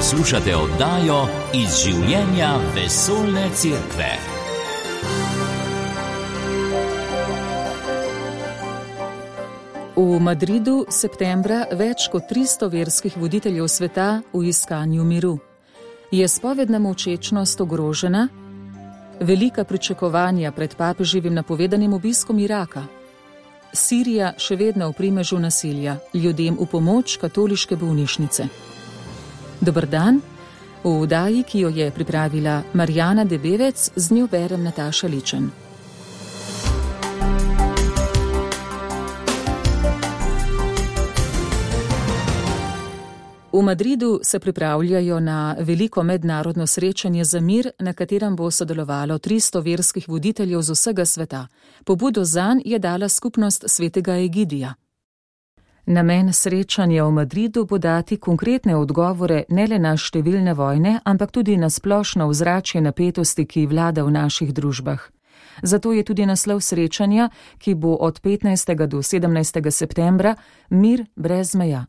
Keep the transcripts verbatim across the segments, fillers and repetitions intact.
Poslušate oddajo Iz življenja vesoljne cerkve. V Madridu septembra več kot tristo verskih voditeljev sveta v iskanju miru. Je spovedna molčečnost ogrožena? Velika pričakovanja pred papeževim napovedanim obiskom Iraka. Sirija še vedno v primežu nasilja, ljudem v pomoč katoliške bolnišnice. Dober dan, v oddaji, ki jo je pripravila Marjana Debevec, z njo berem Nataša Ličen. V Madridu se pripravljajo na veliko mednarodno srečanje za mir, na katerem bo sodelovalo tristo verskih voditeljev z vsega sveta. Pobudo zanj je dala skupnost svetega Egidija. Namen srečanja v Madridu bo dati konkretne odgovore ne le na številne vojne, ampak tudi na splošno ozračje napetosti, ki vlada v naših družbah. Zato je tudi naslov srečanja, ki bo od petnajstega do sedemnajstega septembra, Mir brez meja.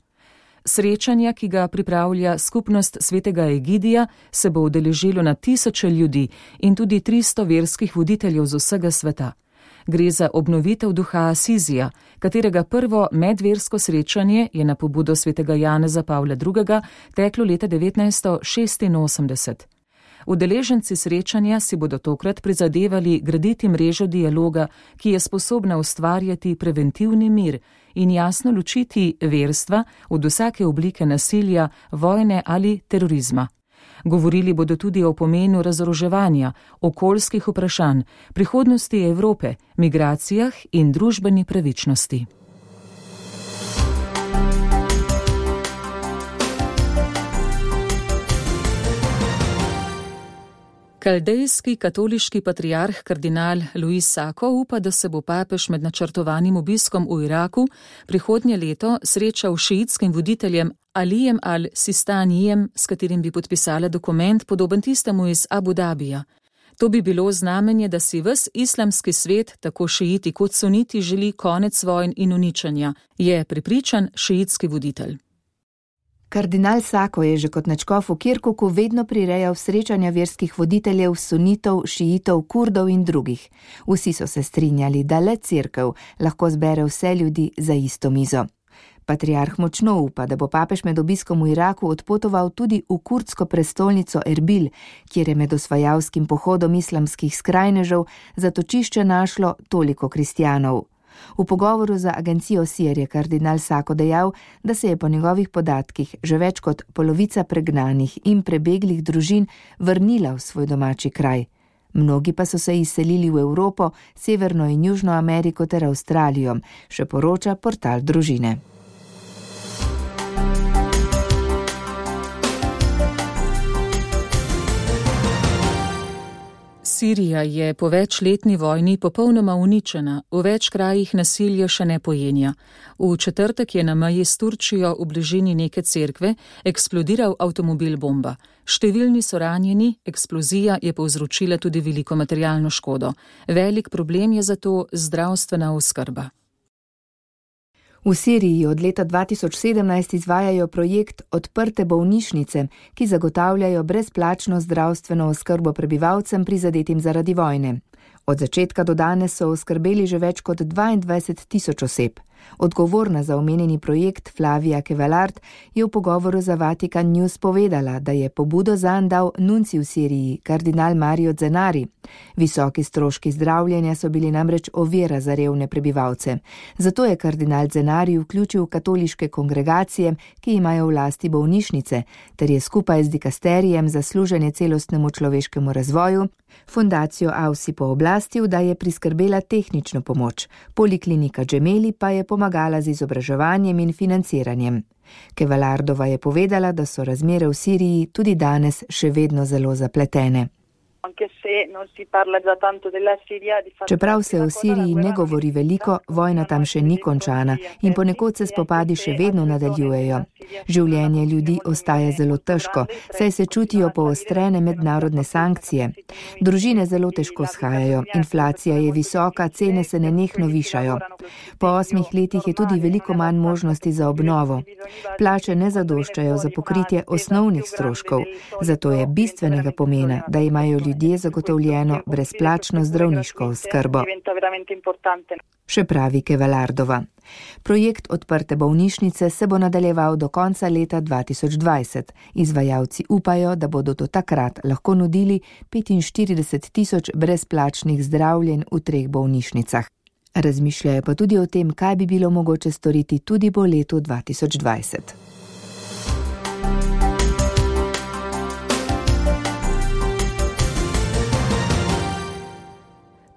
Srečanja, ki ga pripravlja skupnost svetega Egidija, se bo udeležilo na tisoče ljudi in tudi tristo verskih voditeljev z vsega sveta. Gre za obnovitev duha Asizija, katerega prvo medversko srečanje je na pobudo svetega Janeza Pavla drugega teklo leta devetnajststo šestinosemdeset. Udeleženci srečanja si bodo tokrat prizadevali graditi mrežo dialoga, ki je sposobna ustvarjati preventivni mir in jasno ločiti verstva od vsake oblike nasilja, vojne ali terorizma. Govorili bodo tudi o pomenu razoroževanja, okoljskih vprašanj, prihodnosti Evrope, migracijah in družbeni pravičnosti. Kaldejski katoliški patriarh kardinal Luis Sako upa, da se bo papež med načrtovanim obiskom v Iraku prihodnje leto srečal s šiitskim voditeljem Alijem al-Sistanijem, s katerim bi podpisala dokument podoben tistemu iz Abu Dabija. To bi bilo znamenje, da si ves islamski svet, tako šiiti kot suniti, želi konec vojn in uničenja, je prepričan šiitski voditelj. Kardinal Sako je že kot nadškof v Kirkuku vedno prirejal srečanja verskih voditeljev, sunitov, šiitov, kurdov in drugih. Vsi so se strinjali, da le cerkev lahko zbere vse ljudi za isto mizo. Patriarh močno upa, da bo papež med obiskom v Iraku odpotoval tudi v kurdsko prestolnico Erbil, kjer je med osvajalskim pohodom islamskih skrajnežev zatočišče našlo toliko kristjanov. V pogovoru za agencijo S I R je kardinal Sako dejal, da se je po njegovih podatkih že več kot polovica pregnanih in prebeglih družin vrnila v svoj domači kraj. Mnogi pa so se izselili v Evropo, Severno in Južno Ameriko ter Avstralijo, še poroča portal Družine. Sirija je po večletni vojni popolnoma uničena, v več krajih nasilje še ne pojenja. V četrtek je na meji s Turčijo v bližini neke cerkve eksplodiral avtomobil bomba. Številni so ranjeni, eksplozija je povzročila tudi veliko materialno škodo. Velik problem je zato zdravstvena oskrba. V Siriji od leta dva tisoč sedemnajst izvajajo projekt Odprte bolnišnice, ki zagotavljajo brezplačno zdravstveno oskrbo prebivalcem prizadetim zaradi vojne. Od začetka do danes so oskrbeli že več kot dvaindvajset tisoč oseb. Odgovorna za omenjeni projekt Flavia Kevellard je v pogovoru za Vatikan News povedala, da je pobudo zanj dal nunci v Siriji, kardinal Mario Zenari. Visoki stroški zdravljenja so bili namreč ovira za revne prebivalce. Zato je kardinal Zenari vključil katoliške kongregacije, ki imajo v lasti bolnišnice, ter je skupaj z dikasterijem za služenje celostnemu človeškemu razvoju fundacijo Ausi pooblastil, da je priskrbela tehnično pomoč. Poliklinika Džemeli pa je pomagala z izobraževanjem in financiranjem. Kevellardova je povedala, da so razmere v Siriji tudi danes še vedno zelo zapletene. Anche se Čeprav se o Siriji ne govori veliko, vojna tam še ni končana in ponekod se spopadi še vedno nadaljujejo. Življenje ljudi ostaja zelo težko, saj se čutijo poostrene mednarodne sankcije. Družine zelo težko shajajo, inflacija je visoka, cene se nenehno višajo. Po osmih letih je tudi veliko manj možnosti za obnovo. Plače ne zadoščajo za pokritje osnovnih stroškov, zato je bistvenega pomena, da imajo ljudje zagotovljeno brezplačno zdravniško oskrbo. Še pravi Kevalardova. Projekt Odprte bolnišnice se bo nadaljeval do konca leta dva tisoč dvajset. Izvajalci upajo, da bodo do takrat lahko nudili petinštirideset tisoč brezplačnih zdravljenj v treh bolnišnicah. Razmišljajo pa tudi o tem, kaj bi bilo mogoče storiti tudi po letu dva tisoč dvajset.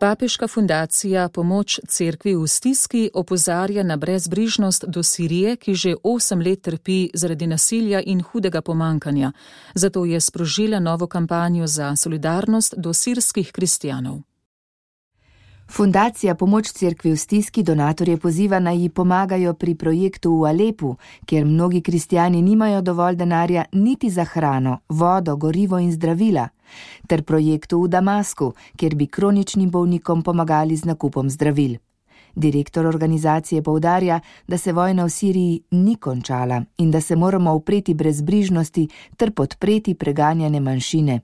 Papeška fundacija Pomoč cerkvi v stiski opozarja na brezbrižnost do Sirije, ki že osem let trpi zaradi nasilja in hudega pomankanja. Zato je sprožila novo kampanjo za solidarnost do sirskih kristjanov. Fundacija Pomoč cerkvi v stiski donatorje poziva, naj ji pomagajo pri projektu v Alepu, kjer mnogi kristjani nimajo dovolj denarja niti za hrano, vodo, gorivo in zdravila, ter projektu v Damasku, kjer bi kroničnim bolnikom pomagali z nakupom zdravil. Direktor organizacije poudarja, da se vojna v Siriji ni končala in da se moramo upreti brezbrižnosti ter podpreti preganjane manjšine.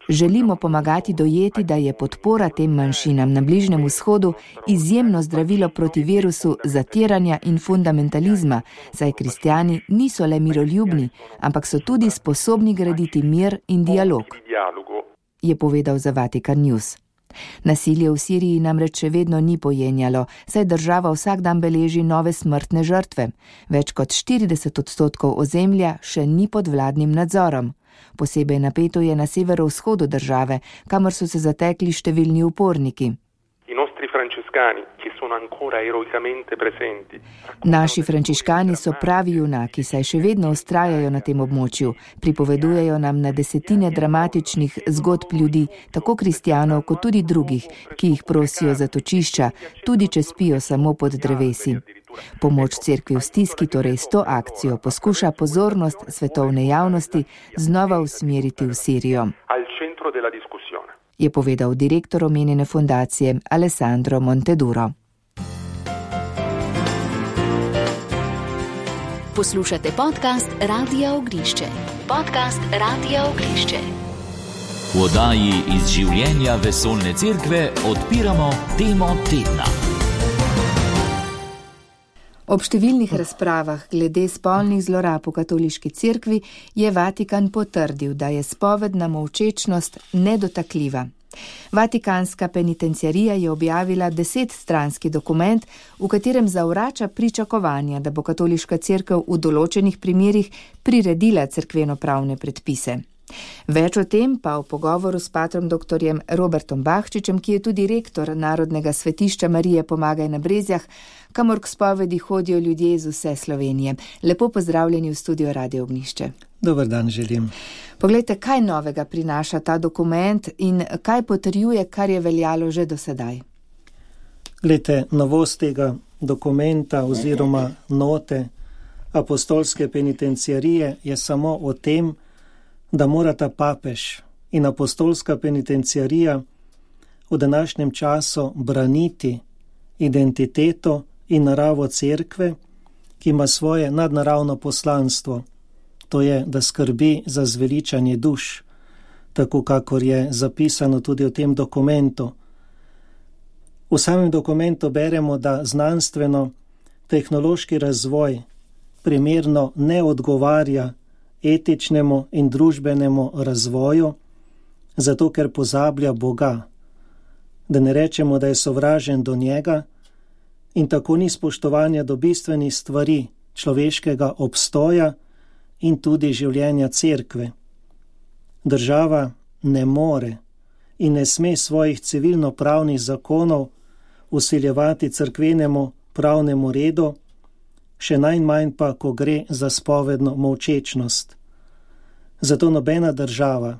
Želimo pomagati dojeti, da je podpora tem manjšinam na Bližnjem vzhodu izjemno zdravilo proti virusu zatiranja in fundamentalizma, saj kristjani niso le miroljubni, ampak so tudi sposobni graditi mir in dialog, je povedal za Vatikan News. Nasilje v Siriji namreč še vedno ni pojenjalo, saj država vsak dan beleži nove smrtne žrtve. Več kot štirideset odstotkov ozemlja še ni pod vladnim nadzorom. Posebej napeto je na severovzhodu države, kamor so se zatekli številni uporniki. Naši frančiškani so pravi junaki, saj še vedno vztrajajo na tem območju. Pripovedujejo nam na desetine dramatičnih zgodb ljudi, tako kristjanov kot tudi drugih, ki jih prosijo za točišča, tudi če spijo samo pod drevesi. Pomoč cerkvi v stiski torej s to akcijo poskuša pozornost svetovne javnosti znova usmeriti v Sirijo, je povedal direktor omenjene fundacije Alessandro Monteduro. Poslušate podcast Radia Ognišče. Podcast Radia Ognišče. V oddaji iz življenja vesoljne cerkve odpiramo temo tedna. Ob številnih razpravah glede spolnih zlorab v katoliški cerkvi je Vatikan potrdil, da je spovedna molčečnost nedotakljiva. Vatikanska penitenciarija je objavila desetstranski dokument, v katerem zavrača pričakovanja, da bo katoliška cerkev v določenih primerih priredila cerkveno-pravne predpise. Več o tem pa v pogovoru s patrom doktorjem Robertom Bahčičem, ki je tudi rektor Narodnega svetišča Marije Pomagaj na Brezjah, kamor k spovedi hodijo ljudje iz vse Slovenije. Lepo pozdravljeni v studio Radio Ognišče. Dober dan želim. Poglejte, kaj novega prinaša ta dokument in kaj potrjuje, kar je veljalo že do sedaj? Glejte, novost tega dokumenta oziroma note apostolske penitenciarije je samo o tem, da morata papež in apostolska penitenciarija v današnjem času braniti identiteto in naravo cerkve, ki ima svoje nadnaravno poslanstvo. To je, da skrbi za zveličanje duš, tako kakor je zapisano tudi v tem dokumentu. V samem dokumentu beremo, da znanstveno-tehnološki razvoj primerno ne odgovarja etičnemu in družbenemu razvoju, zato ker pozablja Boga, da ne rečemo, da je sovražen do njega in tako ni spoštovanja do bistvenih stvari človeškega obstoja in tudi življenja cerkve. Država ne more in ne sme svojih civilno-pravnih zakonov vsiljevati cerkvenemu pravnemu redu, še najmanj pa, ko gre za spovedno molčečnost. Zato nobena država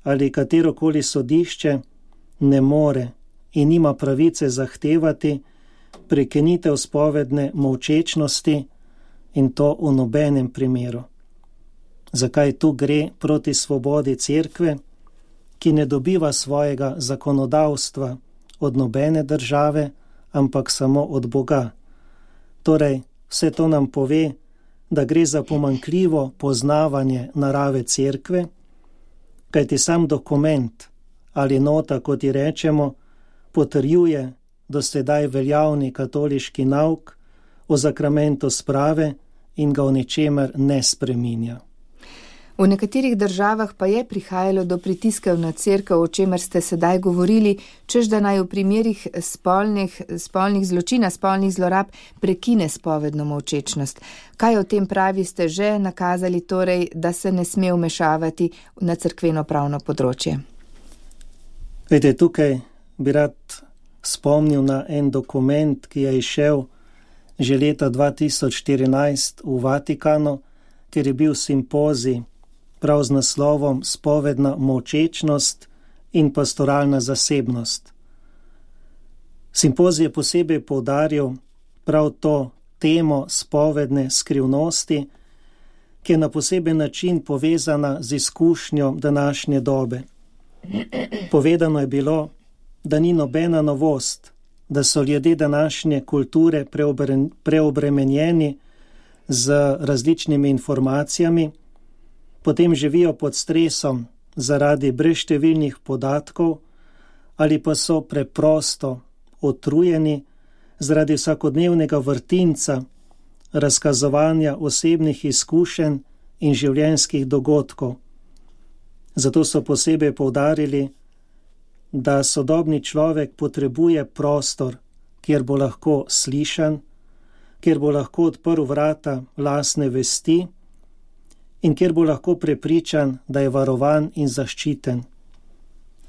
ali katerokoli sodišče ne more in nima pravice zahtevati prekinitev spovedne molčečnosti, in to v nobenem primeru. Zakaj tu gre proti svobodi cerkve, ki ne dobiva svojega zakonodavstva od nobene države, ampak samo od Boga. Torej, vse to nam pove, da gre za pomanjkljivo poznavanje narave cerkve, kajti sam dokument ali nota, kot ji rečemo, potrjuje do sedaj veljavni katoliški nauk o sakramentu sprave in ga v ničemer ne spreminja. V nekaterih državah pa je prihajalo do pritiskov na cerkev, o čemer ste sedaj govorili, čež da naj v primerih spolnih, spolnih zločina, spolnih zlorab prekine spovedno molčečnost. Kaj o tem pravi ste že nakazali, torej, da se ne sme vmešavati na cerkveno pravno področje? Vete, tukaj bi rad spomnil na en dokument, ki je izšel že leta dva tisoč štirinajst v Vatikanu, ker je bil simpozij prav z naslovom Spovedna molčečnost in pastoralna zasebnost. Simpozij je posebej poudaril prav to temo spovedne skrivnosti, ki je na poseben način povezana z izkušnjo današnje dobe. Povedano je bilo, da ni nobena novost, da so ljudje današnje kulture preobre, preobremenjeni z različnimi informacijami, potem živijo pod stresom zaradi brezštevilnih podatkov ali pa so preprosto utrujeni zaradi vsakodnevnega vrtinca razkazovanja osebnih izkušenj in življenjskih dogodkov. Zato so posebej poudarili, da sodobni človek potrebuje prostor, kjer bo lahko slišan, kjer bo lahko odprl vrata lastne vesti in kjer bo lahko prepričan, da je varovan in zaščiten.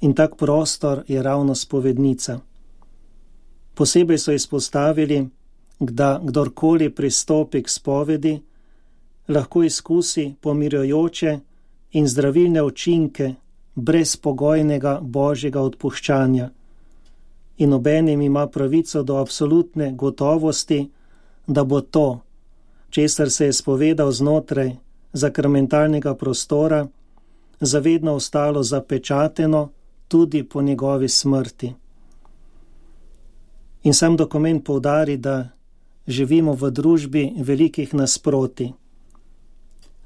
In tak prostor je ravno spovednica. Posebej so izpostavili, da kdorkoli pristopi k spovedi, lahko izkusi pomirjujoče in zdravilne učinke brezpogojnega božjega odpuščanja in obenem ima pravico do absolutne gotovosti, da bo to, česar se je spovedal znotraj sakramentalnega prostora, zavedno ostalo zapečateno tudi po njegovi smrti. In sam dokument poudari, da živimo v družbi velikih nasprotij.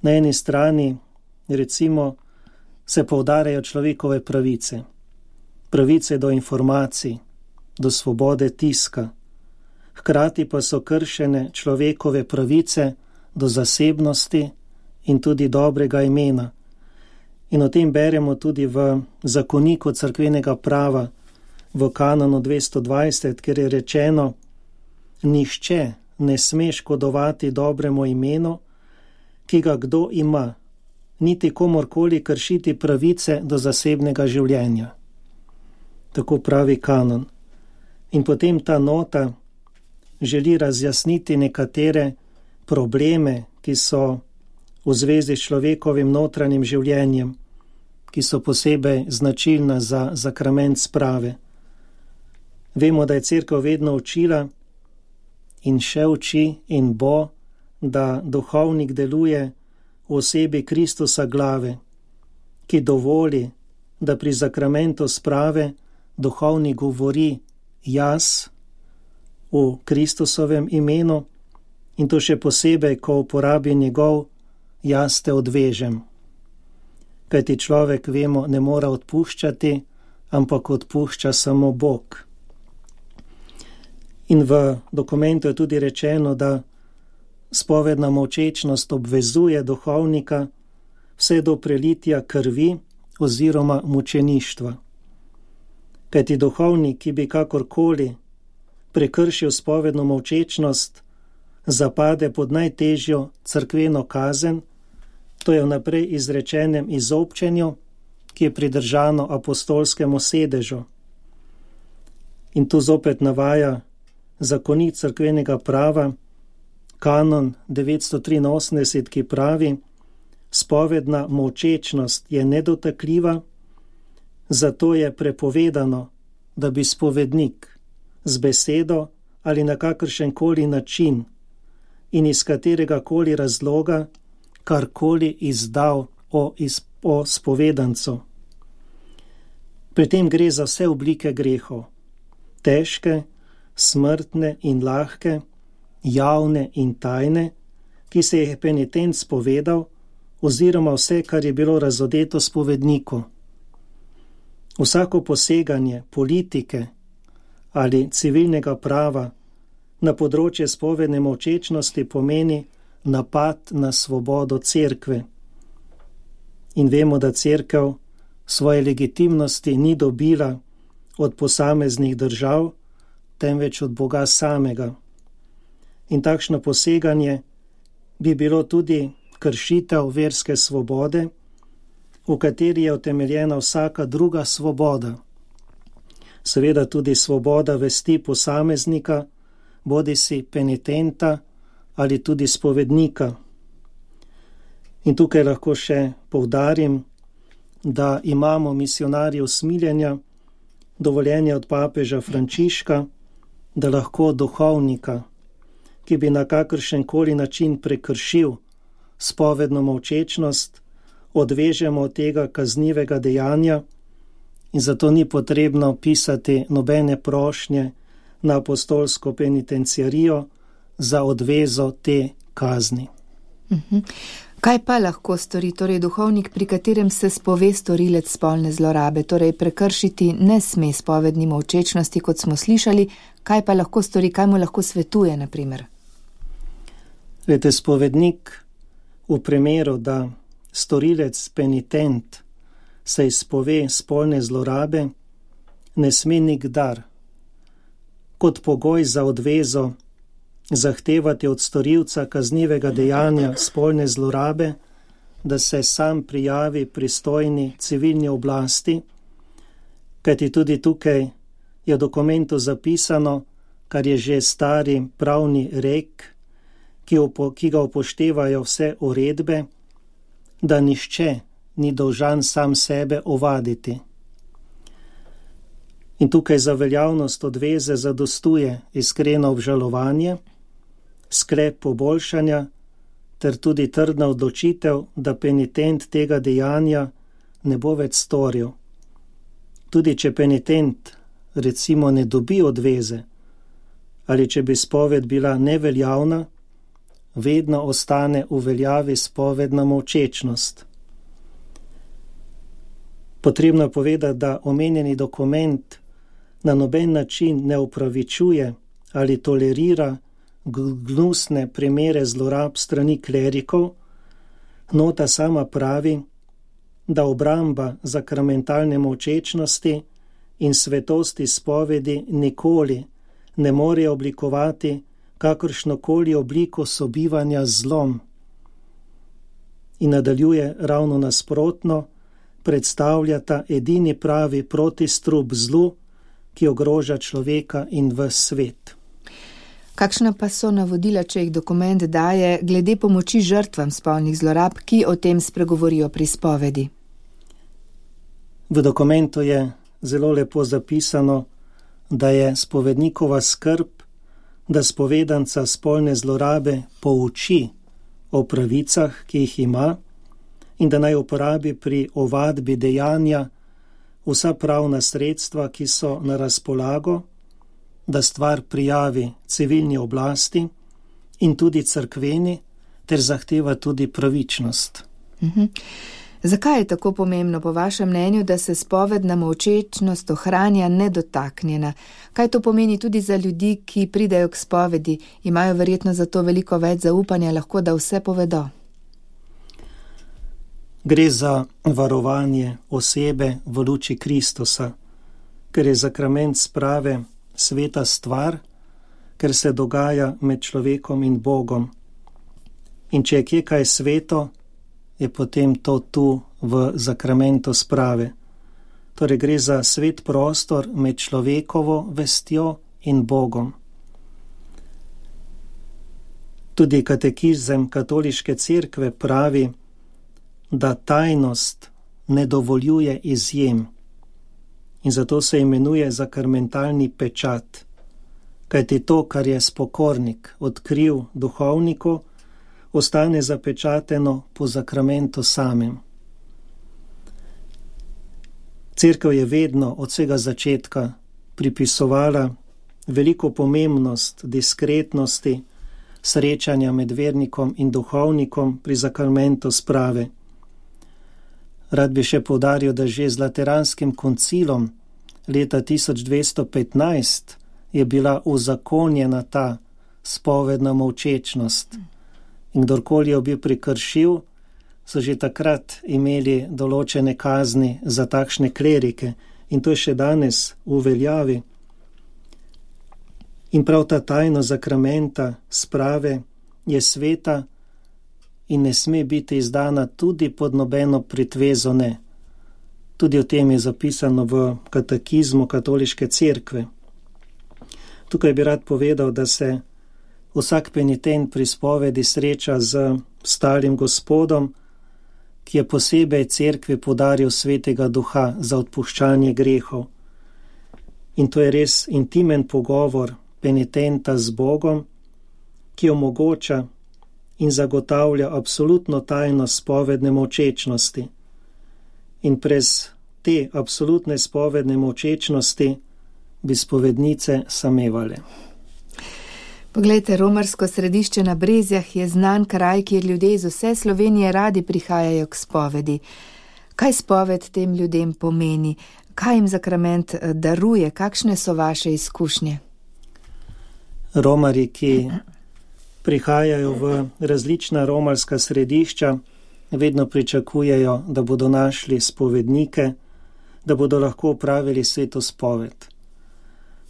Na eni strani, recimo, se poudarjajo človekove pravice, pravice do informacij, do svobode tiska, hkrati pa so kršene človekove pravice do zasebnosti in tudi dobrega imena. In o tem beremo tudi v zakoniku cerkvenega prava, v kanonu dvesto dvajset, kjer je rečeno: nihče ne sme škodovati dobremu imenu, ki ga kdo ima, niti komorkoli kršiti pravice do zasebnega življenja. Tako pravi kanon. In potem ta nota želi razjasniti nekatere probleme, ki so v zvezi s človekovim notranjim življenjem, ki so posebej značilna za sakrament sprave. Vemo, da je cerkev vedno učila in še uči in bo, da duhovnik deluje v osebi Kristusa glave, ki dovoli, da pri sakramentu sprave duhovnik govori jaz v Kristusovem imenu in to še posebej, ko uporabi njegov jaz te odvežem. Kajti človek, vemo, ne mora odpuščati, ampak odpušča samo Bog. In v dokumentu je tudi rečeno, da spovedna molčečnost obvezuje duhovnika vse do prelitja krvi oziroma mučeništva. Kajti duhovnik, ki bi kakorkoli prekršil spovedno molčečnost, zapade pod najtežjo cerkveno kazen, to je vnaprej izrečenem izobčenju, ki je pridržano apostolskemu sedežu. In tu zopet navaja zakonik cerkvenega prava, kanon devetsto triinosemdeset, ki pravi: Spovedna molčečnost je nedotakljiva, zato je prepovedano, da bi spovednik z besedo ali na kakršenkoli način in iz katerega koli razloga karkoli izdal o, iz, o spovedancu. Pri tem gre za vse oblike grehov, težke, smrtne in lahke, javne in tajne, ki se je penitent spovedal, oziroma vse, kar je bilo razodeto spovedniku. Vsako poseganje politike ali civilnega prava na področje spovedne molčečnosti pomeni napad na svobodo cerkve. In vemo, da cerkev svoje legitimnosti ni dobila od posameznih držav, temveč od Boga samega. In takšno poseganje bi bilo tudi kršitev verske svobode, v kateri je utemeljena vsaka druga svoboda. Seveda tudi svoboda vesti posameznika, bodisi penitenta ali tudi spovednika. In tukaj lahko še poudarim, da imamo misijonarji usmiljenja dovoljenje od papeža Frančiška, da lahko duhovnika, ki bi na kakršen koli način prekršil spovedno molčečnost, odvežemo od tega kaznivega dejanja, in zato ni potrebno pisati nobene prošnje na apostolsko penitenciarijo za odvezo te kazni. Uh-huh. Kaj pa lahko stori torej duhovnik, pri katerem se spove storilec spolne zlorabe, torej prekršiti ne sme spovedni molčečnosti, kot smo slišali, kaj pa lahko stori, kaj mu lahko svetuje, na primer? Vete, spovednik v primeru, da storilec penitent se izpove spolne zlorabe, ne sme nikdar kot pogoj za odvezo zahtevati od storilca kaznivega dejanja spolne zlorabe, da se sam prijavi pristojni civilni oblasti, kajti tudi tukaj je v dokumentu zapisano, kar je že stari pravni rek, ki, upo, ki ga upoštevajo vse uredbe, da nihče ni dolžan sam sebe ovaditi. In tukaj za veljavnost odveze zadostuje iskreno obžalovanje, sklep poboljšanja ter tudi trdna odločitev, da penitent tega dejanja ne bo več storil. Tudi če penitent recimo ne dobi odveze ali če bi spoved bila neveljavna, vedno ostane v veljavi spovedna molčečnost. Potrebno je povedati, da omenjeni dokument na noben način ne upravičuje ali tolerira gnusne primere zlorab strani klerikov. Nota sama pravi, da obramba sakramentalne molčečnosti in svetosti spovedi nikoli ne more oblikovati kakršnokoli obliko sobivanja z zlom. In nadaljuje ravno nasprotno, predstavljata edini pravi protistrup zlu, ki ogroža človeka in ves svet. Kakšna pa so navodila, če jih dokument daje, glede pomoči žrtvam spolnih zlorab, ki o tem spregovorijo pri spovedi? V dokumentu je zelo lepo zapisano, da je spovednikova skrb, da spovedanca spolne zlorabe pouči o pravicah, ki jih ima, in da naj uporabi pri ovadbi dejanja vsa pravna sredstva, ki so na razpolago, da stvar prijavi civilni oblasti in tudi cerkveni, ter zahteva tudi pravičnost. Uh-huh. Zakaj je tako pomembno, po vašem mnenju, da se spovedna molčečnost ohranja nedotaknjena? Kaj to pomeni tudi za ljudi, ki pridejo k spovedi, imajo verjetno zato veliko več zaupanja, lahko da vse povedo? Gre za varovanje osebe v luči Kristusa, ker je sakrament sprave sveta stvar, ker se dogaja med človekom in Bogom. In če je kje kaj sveto, je potem to tu v sakramentu sprave. Torej gre za svet prostor med človekovo vestjo in Bogom. Tudi katekizem katoliške cerkve pravi, da tajnost ne dovoljuje izjem in zato se imenuje zakrmentalni pečat, kajti to, kar je spokornik odkril duhovniku, ostane zapečateno po zakramentu samem. Cerkev je vedno od vsega začetka pripisovala veliko pomembnost diskretnosti srečanja med vernikom in duhovnikom pri zakramentu sprave. Rad bi še poudaril, da že z Lateranskim koncilom leta tisoč dvesto petnajst je bila uzakonjena ta spovedna molčečnost. In kdorkoli jo bi prekršil, so že takrat imeli določene kazni za takšne klerike in to je še danes v veljavi. In prav ta tajnost zakramenta sprave je sveta in ne sme biti izdana tudi pod nobeno pritvezo ne. Tudi o tem je zapisano v katekizmu katoliške cerkve. Tukaj bi rad povedal, da se vsak penitent pri spovedi sreča z starim gospodom, ki je posebej cerkvi podaril svetega duha za odpuščanje grehov. In to je res intimen pogovor penitenta z Bogom, ki omogoča in zagotavlja absolutno tajnost spovedne molčečnosti. In brez te absolutne spovedne molčečnosti bi spovednice samevale. Poglejte, romarsko središče na Brezjah je znan kraj, kjer ljudje iz vse Slovenije radi prihajajo k spovedi. Kaj spoved tem ljudem pomeni? Kaj jim zakrament daruje? Kakšne so vaše izkušnje? Romarji, ki prihajajo v različna romarska središča, vedno pričakujejo, da bodo našli spovednike, da bodo lahko opravili sveto spoved.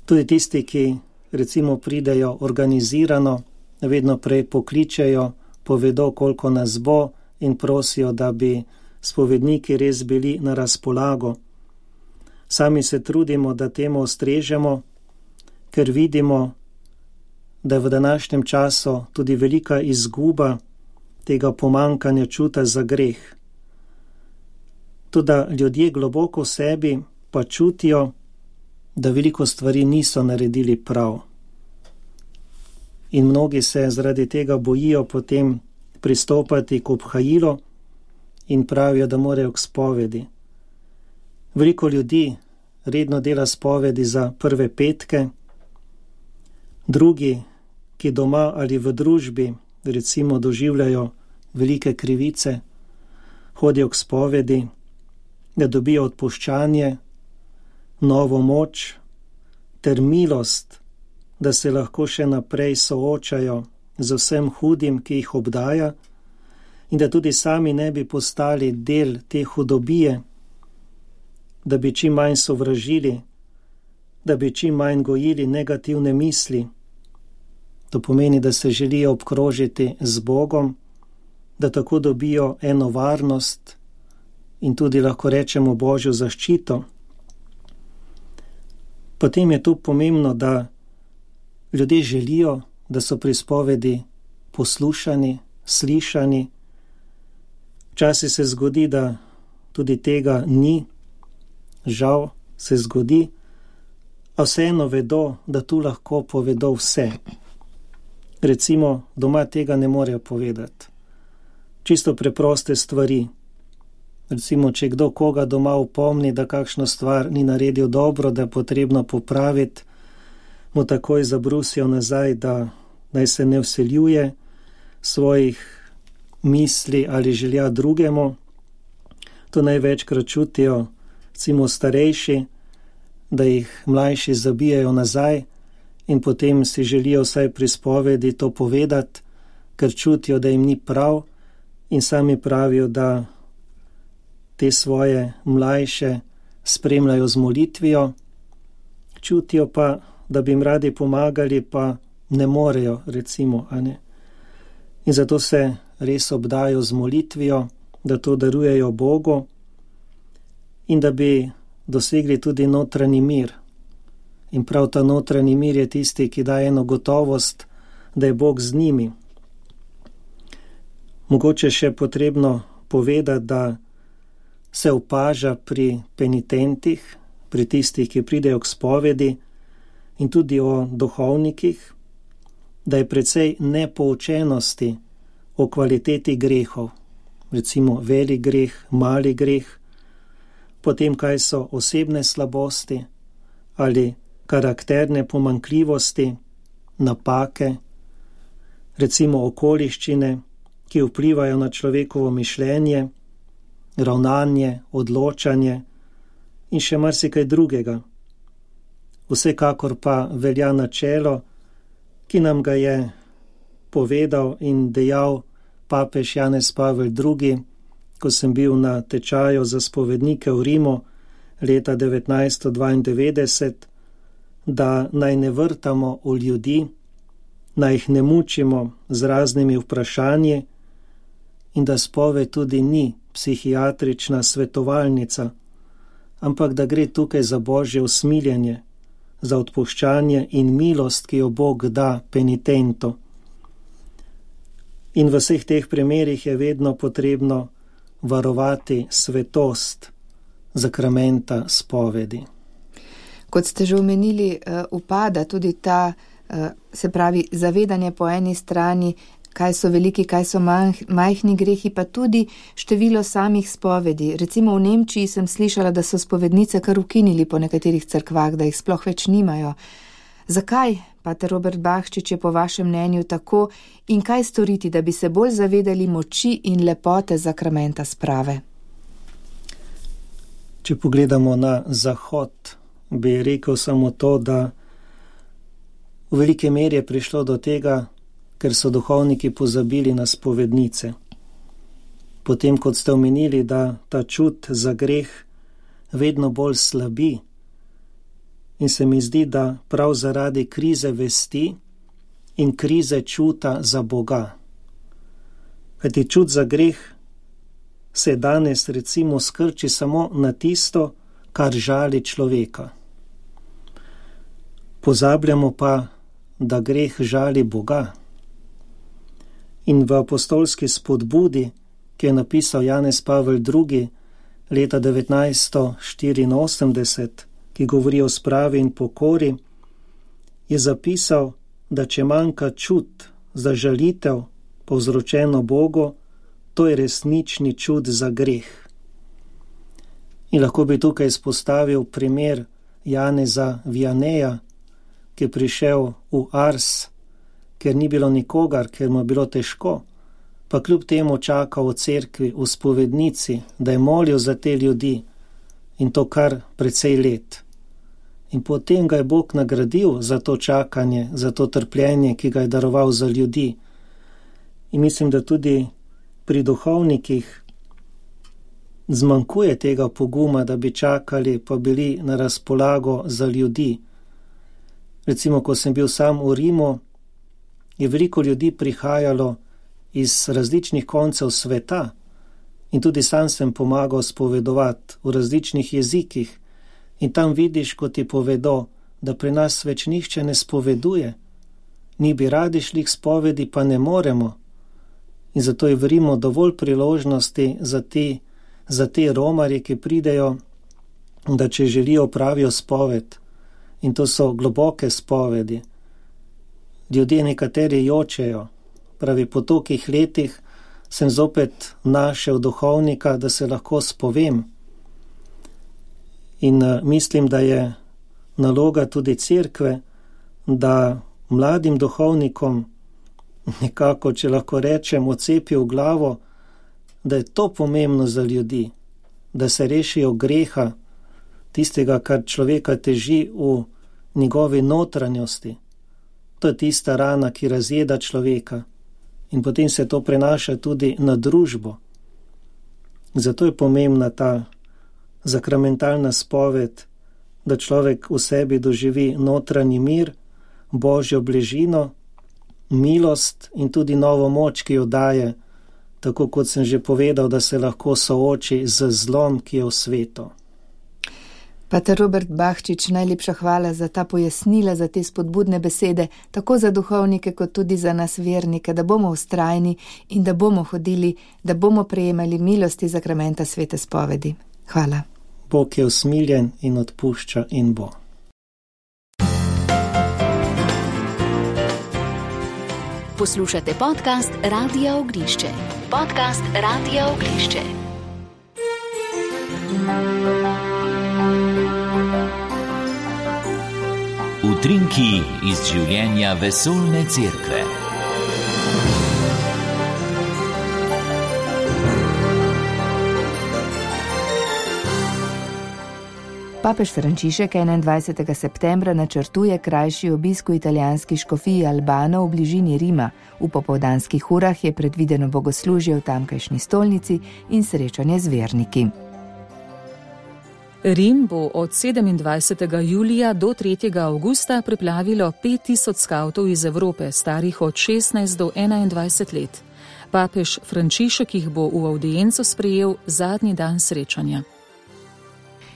Tudi tisti, ki recimo pridejo organizirano, vedno prej pokličejo, povedo, koliko nas bo in prosijo, da bi spovedniki res bili na razpolago. Sami se trudimo, da temu ustrežemo, ker vidimo, da je v današnjem času tudi velika izguba tega pomankanja čuta za greh. Tudi ljudje globoko v sebi pa čutijo, da veliko stvari niso naredili prav. In mnogi se zaradi tega bojijo potem pristopati k obhajilu in pravijo, da morajo k spovedi. Veliko ljudi redno dela spovedi za prve petke, drugi, ki doma ali v družbi recimo doživljajo velike krivice, hodijo k spovedi, da dobijo odpuščanje, novo moč ter milost, da se lahko še naprej soočajo z vsem hudim, ki jih obdaja in da tudi sami ne bi postali del te hudobije, da bi čim manj sovražili, da bi čim manj gojili negativne misli. To pomeni, da se želijo obkrožiti z Bogom, da tako dobijo eno varnost in tudi lahko rečemo Božjo zaščito. Potem je tu pomembno, da ljudje želijo, da so pri spovedi poslušani, slišani. Včasih se zgodi, da tudi tega ni, žal se zgodi, a vseeno vedo, da tu lahko povedo vse. Recimo, doma tega ne morejo povedati. Čisto preproste stvari. Recimo, če kdo koga doma upomni, da kakšno stvar ni naredil dobro, da je potrebno popraviti, mu takoj zabrusijo nazaj, da naj se ne vseljuje svojih misli ali želja drugemu. To največkrat čutijo recimo starejši, da jih mlajši zabijajo nazaj in potem si želijo vsaj pri spovedi to povedati, ker čutijo, da jim ni prav in sami pravijo, da te svoje mlajše spremljajo z molitvijo, čutijo pa, da bi jim radi pomagali, pa ne morejo, recimo, a ne. In zato se res obdajo z molitvijo, da to darujejo Bogu in da bi dosegli tudi notranji mir. In prav ta notranji mir je tisti, ki daje eno gotovost, da je Bog z njimi. Mogoče še potrebno povedati, da se opaža pri penitentih, pri tistih, ki pridejo k spovedi, in tudi o duhovnikih, da je precej nepoučenosti o kvaliteti grehov, recimo velik greh, mali greh, potem kaj so osebne slabosti ali karakterne pomanjkljivosti, napake, recimo okoliščine, ki vplivajo na človekovo mišljenje, ravnanje, odločanje in še marsikaj drugega. Vsekakor pa velja načelo, ki nam ga je povedal in dejal papež Janez Pavel drugi, ko sem bil na tečaju za spovednike v Rimu leta devetnajststo dvaindevetdeset, da naj ne vrtamo v ljudi, naj jih ne mučimo z raznimi vprašanji in da spoved tudi ni psihiatrična svetovalnica, ampak da gre tukaj za božje usmiljenje, za odpuščanje in milost, ki jo Bog da penitentu. In v vseh teh primerih je vedno potrebno varovati svetost zakramenta spovedi. Kot ste že omenili, upada tudi ta, se pravi, zavedanje po eni strani, kaj so veliki, kaj so majhni grehi, pa tudi število samih spovedi. Recimo v Nemčiji sem slišala, da so spovednice kar ukinili po nekaterih cerkvah, da jih sploh več nimajo. Zakaj, pater Robert Bahčič, je po vašem mnenju tako in kaj storiti, da bi se bolj zavedali moči in lepote zakramenta sprave? Če pogledamo na zahod, bi rekel samo to, da v velike meri je prišlo do tega, ker so duhovniki pozabili na spovednice. Potem, kot ste omenili, da ta čut za greh vedno bolj slabi, in se mi zdi, da prav zaradi krize vesti in krize čuta za Boga. Kajti čut za greh se danes recimo skrči samo na tisto, kar žali človeka. Pozabljamo pa, da greh žali Boga. In v apostolski spodbudi, ki je napisal Janez Pavel drugi leta devetnajststo štiriinosemdeset, ki govori o spravi in pokori, je zapisal, da če manjka čut za žalitev povzročeno Bogu, to je resnični čut za greh. In lahko bi tukaj izpostavil primer Janeza Vianeja, ki je prišel v Ars, ker ni bilo nikogar, ker mu je bilo težko, pa kljub temu čakal v cerkvi, v spovednici, da je molil za te ljudi, in to kar precej let. In potem ga je Bog nagradil za to čakanje, za to trpljenje, ki ga je daroval za ljudi. In mislim, da tudi pri duhovnikih zmanjkuje tega poguma, da bi čakali, pa bili na razpolago za ljudi. Recimo, ko sem bil sam v Rimu, je veliko ljudi prihajalo iz različnih koncev sveta in tudi sam sem pomagal spovedovati v različnih jezikih. In tam vidiš, ko ti povedo, da pri nas več nihče ne spoveduje. Mi bi radi šli k spovedi, pa ne moremo. In zato je v Rimu dovolj priložnosti za te, za te romarje, ki pridejo, da če želijo pravijo spoved. In to so globoke spovedi. Ljudje nekateri jočejo. Pravi, po tolikih letih sem zopet našel duhovnika, da se lahko spovem. In uh, mislim, da je naloga tudi cerkve, da mladim duhovnikom nekako, če lahko rečem, odcepi v glavo, da je to pomembno za ljudi, da se rešijo greha, tistega, kar človeka teži v njegovi notranjosti. To je tista rana, ki razjeda človeka in potem se to prenaša tudi na družbo. Zato je pomembna ta zakramentalna spoved, da človek v sebi doživi notranji mir, božjo bližino, milost in tudi novo moč, ki jo daje, tako kot sem že povedal, da se lahko sooči z zlom, ki je v svetu. Pater Robert Bahčič, najlepša hvala za ta pojasnila, za te spodbudne besede, tako za duhovnike, kot tudi za nas vernike, da bomo vztrajni in da bomo hodili, da bomo prejemali milosti zakramenta svete spovedi. Hvala. Bog je usmiljen in odpušča in bo. Poslušate podcast Radia Ognišče. Podcast Radia Ognišče. Utrinki iz življenja vesoljne cerkve. Papež Frančišek enaindvajsetega septembra načrtuje krajši obisk v italijanski škofiji Albano v bližini Rima. V popoldanskih urah je predvideno bogoslužje v tamkajšnji stolnici in srečanje z verniki. Rim bo od sedemindvajsetega julija do tretjega avgusta preplavilo pet tisoč skavtov iz Evrope, starih od šestnajst do enaindvajset let. Papež Frančišek jih bo v avdienco sprejel zadnji dan srečanja.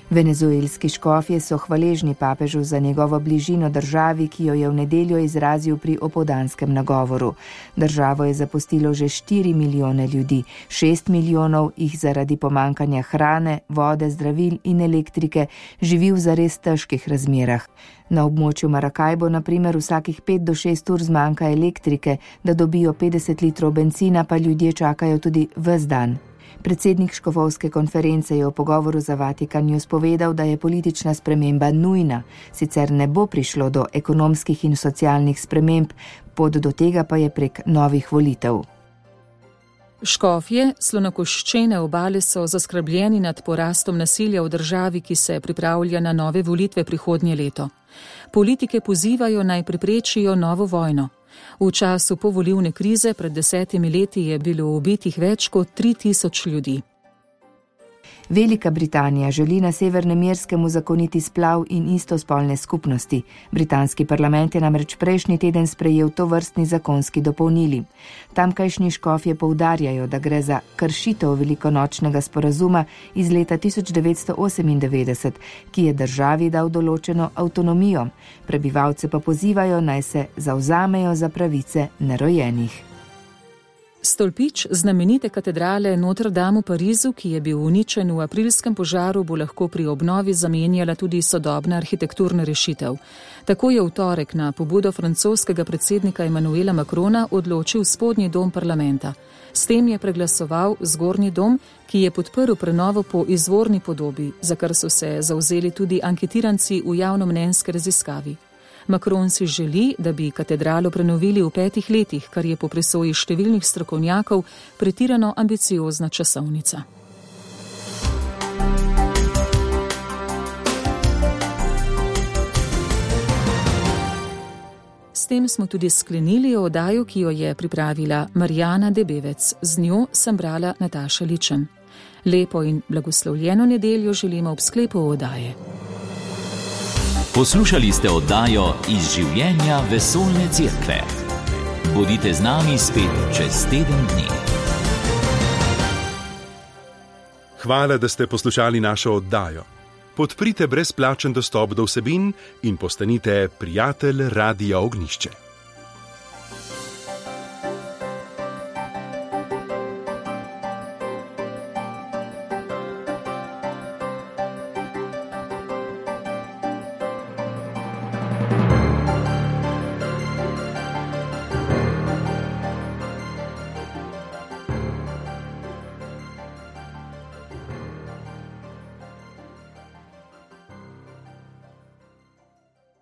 Venezuelski škofje so hvaležni papežu za njegovo bližino državi, ki jo je v nedeljo izrazil pri opoldanskem nagovoru. Državo je zapustilo že štiri milijone ljudi, šest milijonov jih zaradi pomankanja hrane, vode, zdravil in elektrike živi v zares težkih razmerah. Na območju Maracaibo na primer vsakih pet do šest ur zmanjka elektrike, da dobijo petdeset litrov bencina, pa ljudje čakajo tudi ves dan. Predsednik škofovske konference je v pogovoru za Vatikan News povedal, da je politična sprememba nujna, sicer ne bo prišlo do ekonomskih in socialnih sprememb, pot do tega pa je prek novih volitev. Škofje slonokoščene obale so zaskrbljeni nad porastom nasilja v državi, ki se pripravlja na nove volitve prihodnje leto. Politike pozivajo naj preprečijo novo vojno. V času povolilne krize pred desetimi leti je bilo ubitih več kot tri tisoč ljudi. Velika Britanija želi na Severnem Irskem uzakoniti splav in istospolne skupnosti. Britanski parlament je namreč prejšnji teden sprejel tovrstni zakonski dopolnili. Tamkajšnji škofje poudarjajo, da gre za kršitev velikonočnega sporazuma iz leta tisoč devetsto osemindevetdeset, ki je državi dal določeno avtonomijo. Prebivalce pa pozivajo, naj se zavzamejo za pravice nerojenih. Stolpič znamenite katedrale Notre Dame v Parizu, ki je bil uničen v aprilskem požaru, bo lahko pri obnovi zamenjala tudi sodobna arhitekturna rešitev. Tako je v torek na pobudo francoskega predsednika Emmanuela Macrona odločil spodnji dom parlamenta. S tem je preglasoval zgornji dom, ki je podprl prenovo po izvorni podobi, za kar so se zavzeli tudi anketiranci v javnomnenjski raziskavi. Macron si želi, da bi katedralo prenovili v petih letih, kar je po presoji številnih strokovnjakov pretirano ambiciozna časovnica. S tem smo tudi sklenili oddajo, ki jo je pripravila Marjana Debevec. Z njo sem brala Nataša Ličen. Lepo in blagoslovljeno nedeljo želimo ob sklepu oddaje. Poslušali ste oddajo Iz življenja vesoljne cerkve. Bodite z nami spet čez teden dni. Hvala, da ste poslušali našo oddajo. Podprite brezplačen dostop do vsebin in postanite prijatelj Radia Ognišče.